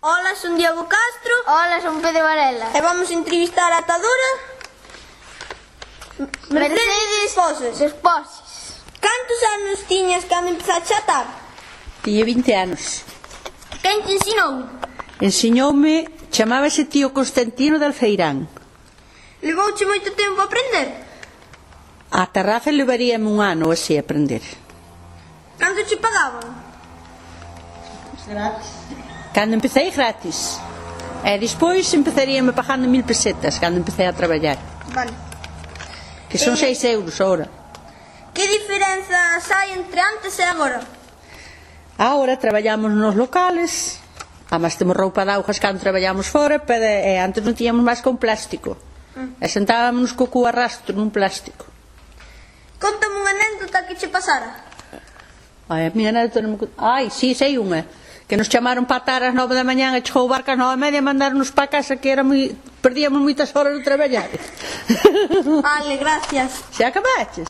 Hola, son Diego Castro. Hola, son Pedro Varela. E vamos a entrevistar a atadora Mercedes Desposes. Cantos anos tiñas cando empezaste a atar? Tiña 20 anos. Quen te ensinou? Ensiñoume, chamábase tío Constantino de Alfeirán. Levouche moito tempo a aprender? A terraza levaríame un ano así a aprender. Canto che pagaban? Cando empecé gratis. E despois empezaríame pagando 1000 pesetas cando empecé a traballar. Vale. Que son 6 euros ahora. Que diferenzas hai entre antes e agora? Ahora traballamos nos locales. Además temos roupa de augas cando traballamos fora, pero antes non tiñamos máis que un plástico. E sentábamos co cu arrastro nun plástico. Contame unha anécdota que che pasara. Ai, a miña anécdota non me... Ai, sí, sei unha. Que nos chamaron para atar ás 9 da mañá e chegou o barco ás 9:30 e mandaron-nos para casa que era perdíamos moitas horas de traballar. Vale, gracias. Xa acabaches?